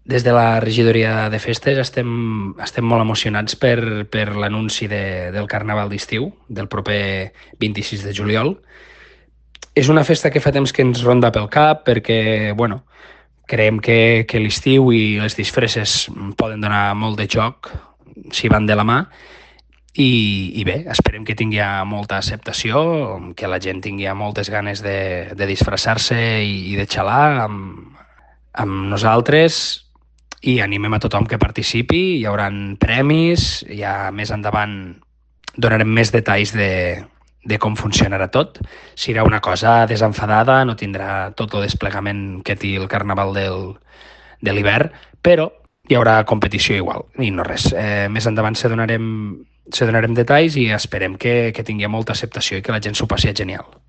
Des de la regidoria de festes estem molt emocionats per l'anunci del Carnaval d'estiu, del proper 26 de juliol. És una festa que fa temps que ens ronda pel cap perquè, bueno, creiem que l'estiu i les disfresses poden donar molt de joc si van de la mà i bé, esperem que tingui molta acceptació, que la gent tingui moltes ganes de disfressar-se i de xalar amb nosaltres i animem a tothom que participi. Hi haurà premis, ja més endavant donarem més detalls de com funcionarà tot. Serà una cosa desenfadada, no tindrà tot el desplegament que té el carnaval de l'hivern, però hi haurà competició igual, i no res. Més endavant se donarem detalls i esperem que tingui molta acceptació i que la gent s'ho passi genial.